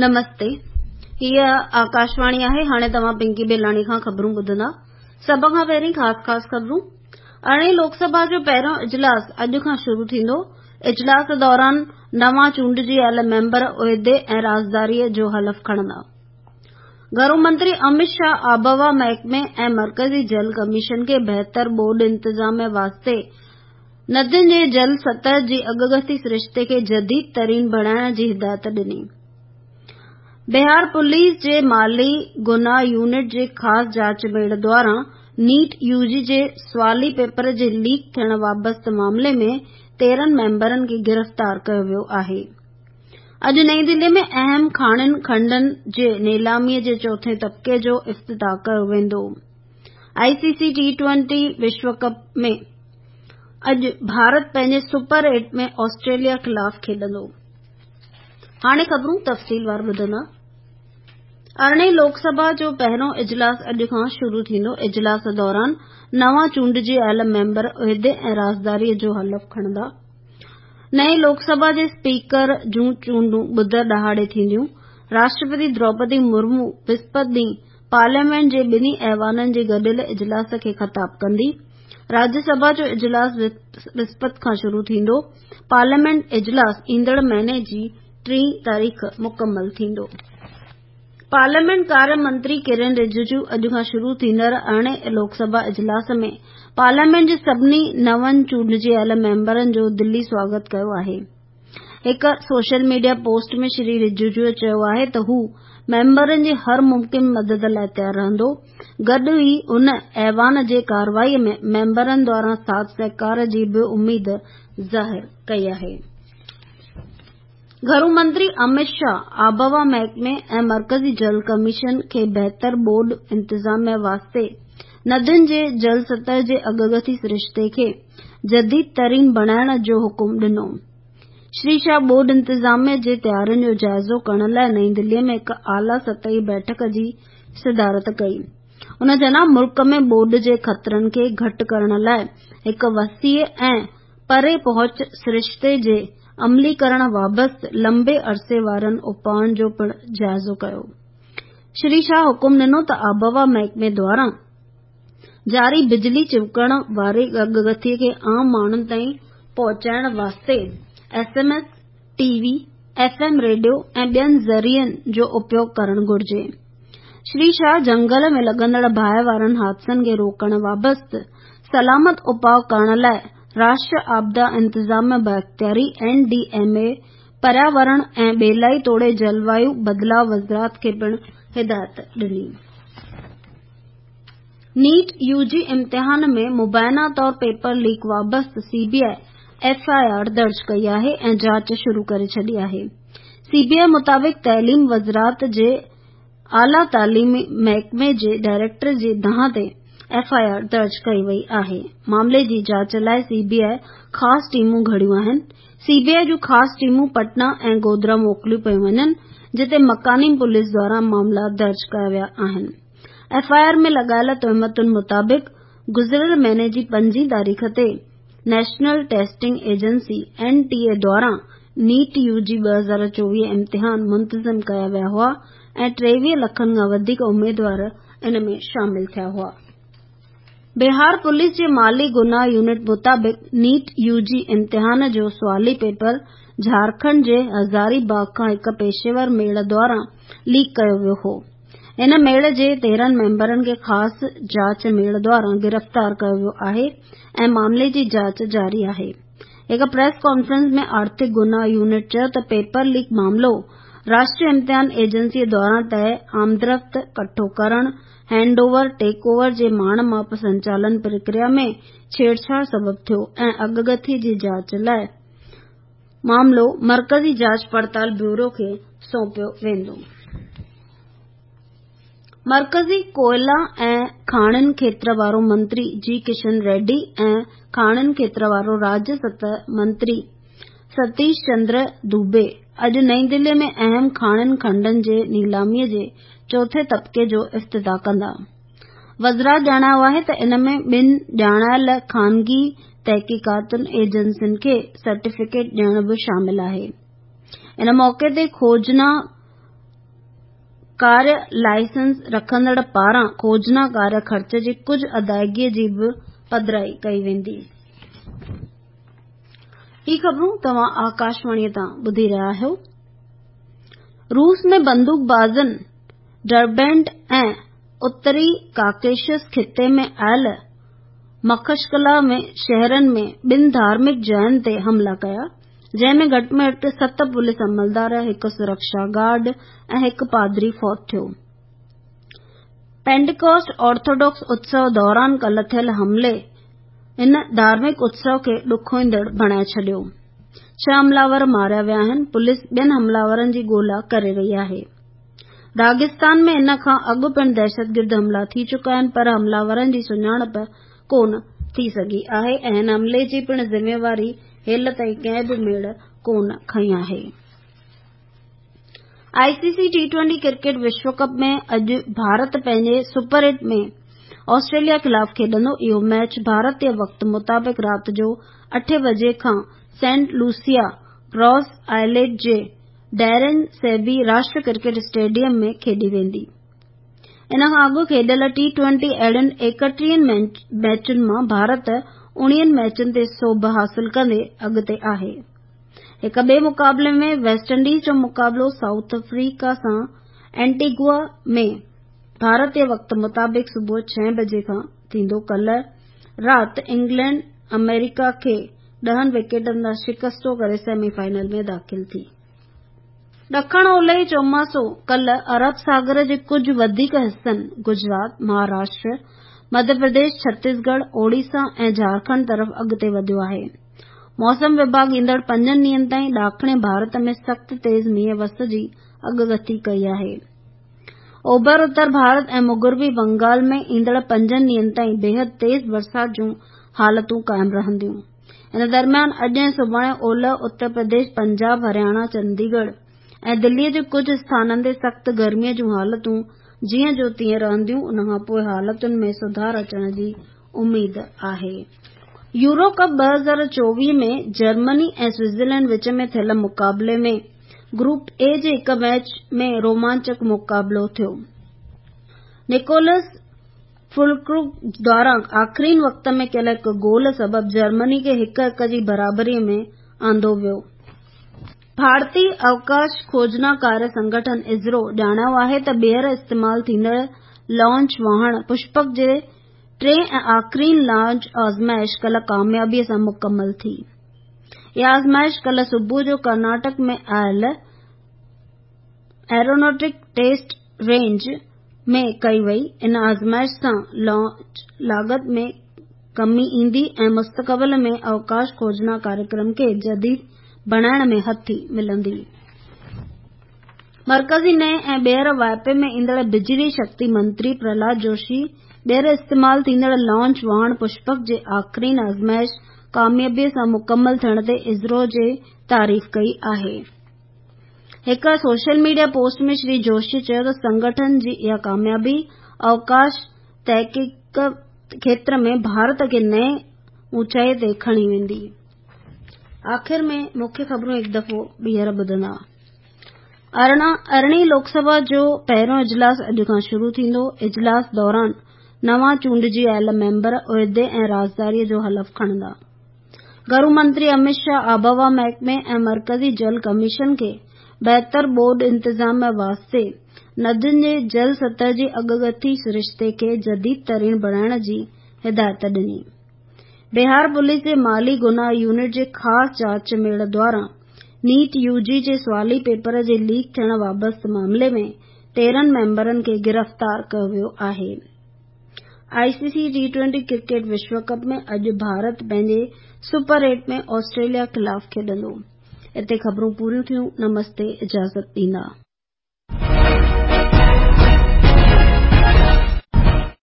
نمستي هيء آڪاشواڻي آهي هاڻي توهان پنڪي بيلاڻي کان خبرون ٻڌندا سڀ کان پهرين خاص خاص خبرون ارڙهين لوڪ سڀا جو پهريون اجلاس اڄ کان شروع ٿيندو اجلاس دوران نوان چونڊجي آيل ميمبر عهدي ۽ رازداري جو حلف کڻندا گهرو منتري امت شاهه آبهوا محڪمي ۽ مرڪزي جل ڪميشن کي بهتر ٻوڏ انتظام واسطي ندين جي جل سطح جي اڳڪٿي سرشتي کي جديد ترين بڻائڻ جي هدايت ڏني. بهار پوليس جي مالي گناهه يونٽ جي خاص جاچ ميڙ دواران نيٽ يو جي جي سوالي پيپر جي ليڪ ٿيڻ وابسته معاملي ۾ 13 ميمبرن کي گرفتار ڪيو ويو آهي. اڄ نئين دهلي ۾ اهم کاڻين کنڊن جي نيلامي جي چوٿين طبقي جو افتتاح ڪيو ويندو. آء سي سي ٽي ٽوئنٽي وشو ڪپ ۾ اڄ ڀارت پنهنجي سپر ايٽ ۾ آسٽريليا خلاف کيڏندو. هاڻي خبرون تفصيلوار ٻڌندا. ارڙهين لوڪ سڀا جو پهريون اجلاس اڄ کان شروع ٿيندو. اجلاس دوران نوان چونڊجي آيل ميمبر عهدي ۽ رازداري جو حلف کڻندا. نئين لوڪ سڀا جي اسپيڪر جون چونڊون ٻڌر ڏهاڙي ٿينديون. راشٽرپتي دروپدي مرمو وسپت ڏينهن پارليامينٽ جي ٻنهي ايوانن جي گڏيل اجلاس کي خطاب ڪندي. راجيه سڀا جو اجلاس وسپت کان شروع ٿيندو. پارليامينٽ اجلاس ايندڙ مهيني جي ٽين تاريخ مڪمل ٿيندو. پارليامينٽ ڪاري منتري ڪرن رجيجو اڄ کان شروع ٿيندڙ ارڙهين لوڪ سڀا اجلاس ۾ پارليامينٽ جي سڀني نون چونڊجي آيل ميمبرن جو دلي سواگت ڪيو آهي. هڪ سوشل ميڊيا پوسٽ ۾ شري رجيجو چيو آهي ته هو ميمبرن جي هر ممڪن مدد لاء تيار رهندو، گڏ ئي هن ايوان جي ڪارروائي ۾ ميمبرن دواران ساٿ سهڪار جي به اميد ظاهر ڪئي آهي. گهرو منتري امت شاهه آبهوا محڪمي ۽ مرڪزي جل ڪميشن کي بهتر ٻوڏ انتظاميه واسطي ندين جي جل سطح جي اڳڪٿي سرشتي کي جديد ترين بڻائڻ جو حڪم ڏنو. شري شاهه ٻوڏ انتظاميه جي تيارين جو جائزو ڪرڻ لاء نئين دهلي ۾ هڪ اعليٰ سطحي بيٺڪ جي صدارت ڪئي. ان جناب ملڪ ۾ ٻوڏ جي خطرن کي گهٽ ڪرڻ لاء هڪ وسيع ۽ پري پهچ سرشتي جي عملي ڪرڻ وابسته لنبي عرصي وارن اپائن جو پڻ جائزو ڪيو. شري شاهه حڪم ڏنو ته آبهوا محڪمي دواران جاري بجلي چمڪڻ واري اڳڪٿي کي عام ماڻهن تائين پهچائڻ واسطي S M S, T V, F M radio ۽ ٻين ذريعن جو اپيوگ ڪرڻ گهرجي. شري شاهه جهنگل ۾ لڳندڙ باهه وارن حادثن کي روڪڻ وابسته سلامت اپاء ڪرڻ لاء راشٽر آپدا انتظاميه بااختياري، اين ڊي ايم اي، پرياورڻ ۽ ٻيلائي توڙي جلوايو بدلاء وزارت کي پڻ هدايت ڏني. نيٽ يو جي امتحان ۾ مبينا طور پيپر ليڪ وابسته C B I F I R درج ڪئي آهي ۽ جاچ شروع ڪري ڇڏي آهي. سي بي آء مطابق تعليم وزارت جي اعليٰ تعليمي محڪمي جي ڊائريڪٽر جي دانهن تي ايف I R درج ڪئي وئي آهي. معاملي جي جاچ لاء سي بي آء خاص ٽيمون گهڙيون آهن. سي بي آء جون خاص ٽيمون پٽنا ۽ گوڌرا موڪليون پيون وڃن جتي مڪاني پوليس دواران معاملا درج ڪيا ويا آهن. ايف I R ۾ لڳايل تهمتن مطابق گذريل مهيني جي پنجين تاريخ تي national testing agency, N T A, دواران نيٽ يو جي 2024 امتحان منتظم ڪيا ويا هئا ۽ 23 لکن کان وڌيڪ اميدوار ان ۾ شامل ٿيا هئا. بهار پوليس جي مالي گناهه يونٽ مطابق نيٽ يو جي امتحان جو سوالي پيپر جهارکنڊ جي هزاري باغ کان هڪ پيشيور ميڙ دواران ليڪ ڪيو ويو هو. ان ميڙ جي 13 ميمبرن کي خاص جاچ ميڙ دواران گرفتار ڪيو ويو آهي ۽ معاملي جي جاچ جاري آهي. هڪ پريس ڪانفرنس ۾ آرٿڪ گناهه يونٽ چيو ته پيپر ليڪ معاملو راشٽري امتحان ايجنسي دواران طئي آمدرفت ڪٺو ڪرڻ، هينڊ اوور، ٽيڪ اوور جي ماڻ ماپ سنچالن پرڪريا ۾ ڇيڙڇاڙ سبب ٿيو ۽ اڳڪٿي جي جاچ لاء معاملو مرڪزي جاچ پڙتال بيورو کي سونپيو ويندو. مرڪزي ڪوئلا ۽ کاڻين کيتر وارو منتري جي ڪشن ريڊي ۽ کاڻين کيتر وارو راجيه سطح منتري ستيش چندر دوبي اڄ نئين دهلي ۾ اهم کاڻين کنڊن جي نيلامي جي چوٿين طبقي جو افتتاح ڪندا. وزارت ڄاڻايو آهي ته ان ۾ ٻن ڄاڻايل خانگي تحقيقاتي ايجنسين کي سرٽيفڪيٽ ڏيڻ به شامل آهي. ان موقعي تي کوجنا ڪاريه لائسنس رکندڙ پاران کوجنا ڪاريه خرچ جي ڪجهه ادائيگي جي به پڌرائي ڪئي ويندي. هي خبرون توهان آڪاشواڻي تان ٻڌي رهيا آهيو. روس ۾ بندوق بازن ڊربينٽ ۽ اتري ڪاڪيشس خطي ۾ آيل مخشڪلا ۾ شهرن ۾ ٻن ڌارمڪ جاين تي حملا ڪيا، جنهن ۾ گهٽ ۾ گهٽ ست پوليس عملدار، هڪ سرڪشا گارڊ ۽ هڪ پادري فوت ٿيو. پينٽيڪوسٽ آرٿوڊوڪس اتسو دوران ڪالهه ٿيل حملي هن ڌارمڪ اتسو کي ڏکوئيندڙ بڻائي ڇڏيو. ڇهه حمله آور ماريا ويا آهن، پوليس ٻين حمله آورن جي ڳولا ڪري رهي آهي. داغستان ۾ ان کان اڳ پڻ دهشتگرد حملا ٿي چڪا آهن پر حمله آورن جي سڃاڻپ ڪونه ٿي سگهي آهي ۽ هن حملي جي پڻ ذميواري هيل تائين ڪنهن به ميڙ ڪونه کنئي آهي. I C C T twenty cricket وشو ڪپ ۾ اڄ ڀارت پنهنجي سپر ايٽ ۾ آسٽريليا خلاف کيڏندو. اهو ميچ ڀارتي وقت مطابق رات جو اٺين بجي کان سينٽ لوسيا گراس آئلينڊ جي ڊيرن سيبي راشٽر ڪرڪيٽ اسٽيڊيم ۾ کيڏي ويندي. ان کان اڳ کيڏيل ٽي ٽوئنٽي اهڙين ايڪٽيهن ميچن مان ڀارت اڻويهن ميچن تي سوڀ حاصل ڪندي اڳتي آهي. هڪ ٻئي مقابلي ۾ ويسٽ انڊيز جو مقابلو سائوٿ آفريڪا سان اينٽيگوا ۾ ڀارتي وقت مطابق صبح ڇهين بجي کان ٿيندو. ڪالهه رات انگلينڊ آمريڪا کي ڏهن وڪيٽن تان شڪستو ڪري سيمي فائنل ۾ داخل ٿي. ڏکڻ اولهي چوماسو ڪالهه عرب ساگر جي ڪجهه وڌيڪ حصن گجرات، مهاراشٽر، مڌيه پرديش، ڇتيسڳڙهه، اوڙيسا ۽ جهارکنڊ طرف اڳتي وڌيو آهي. موسم وڀاڳ ايندڙ پنجن ڏينهن تائين ڏاکڻي ڀارت ۾ سخت تيز مينهن وس جي اڳڪٿي ڪئي آهي. اوڀر اتر ڀارت ۽ مغربي بنگال ۾ ايندڙ پنجن ڏينهن تائين بيحد تيز برسات جون حالتون قائم رهنديون. ان درميان اڄ ۽ سڀاڻي اولهه اتر پرديش، پنجاب، هرياڻا، چنديڳڙهه ۽ دلي جي ڪجهه اسٿانن تي سخت گرمي جون حالتون جيئن جو تيئن رهنديون، ان کان پوء حالتن ۾ سڌار اچڻ جي اميد آهي. يورو ڪپ 2024 ۾ جرمني ۽ سوئٽزرلينڊ وچ ۾ ٿيل مقابلي ۾ گروپ اي جي هڪ ميچ ۾ رومانچڪ مقابلو ٿيو. نڪولس فلڪروگ دواران آخرين وقت ۾ ڪيل هڪ گول سبب جرمني کي هڪ هڪ جي برابري ۾ آندو ويو. ڀارتي اوڪاش کوجنا ڪاريه سنگٺن اسرو ڄاڻايو آهي ته ٻيهر استعمال ٿيندڙ لانچ واهڻ پشپڪ جي ٽئين ۽ آخرين لانچ آزمائش ڪالهه ڪاميابي سان مڪمل ٿي. اها آزمائش ڪالهه صبح جو ڪرناٽڪ ۾ آيل ايروناٽڪ ٽيسٽ رينج ۾ ڪئي وئي. ان آزمائش سان لانچ لاڳت ۾ ڪمي ايندي ۽ مستقبل ۾ اوڪاش کوجنا ڪاريڪرم کي جديد بڻائڻ ۾ هٿي ملندي. مرڪزي نئين ۽ ٻيهر واهپي ۾ ايندڙ بجلي شڪتي منتري پرهلاد جوشي ٻيهر استعمال ٿيندڙ لانچ واهڻ پشپڪ جي آخرين آزمائش ڪاميابي سان مڪمل ٿيڻ تي اسرو جي تعريف ڪئي آهي. هڪ سوشل ميڊيا پوسٽ ۾ شري جوشي چيو ته سنگٺن جي اها ڪاميابي اوڪاش تحقيق کيتر ۾ ڀارت کي نئين اوچائي تي کڻي ويندي. آخر ۾ مکيه خبرون هڪ دفعو ٻيهر ٻڌندا. ارڙهين لوڪ سڀا جو پهريون اجلاس اڄ کان شروع ٿيندو. اجلاس دوران نوان چونڊجي آيل ميمبر عهدي ۽ رازداري جو حلف کڻندا. گهرو منتري امت شاهه آبهوا محڪمي ۽ مرڪزي جل ڪميشن کي بهتر ٻوڏ انتظام واسطي ندين جي جل سطح جي اڳڪٿي سرشتي کي جديد ترين بڻائڻ جي هدايت ڏني. بهار پوليس جي مالي گناهه يونٽ جي خاص جاچ ميڙ دواران نيٽ يو جي جي سوالي پيپر جي ليڪ ٿيڻ وابسته معاملي ۾ 13 ميمبرن کي گرفتار ڪيو ويو آهي. I C C T twenty cricket وشو ڪپ ۾ اڄ ڀارت پنهنجي سپر ايٽ ۾ آسٽريليا خلاف کيڏندو. اتي خبرون پوريون ٿيون. نمستي اجازت ڏيندا.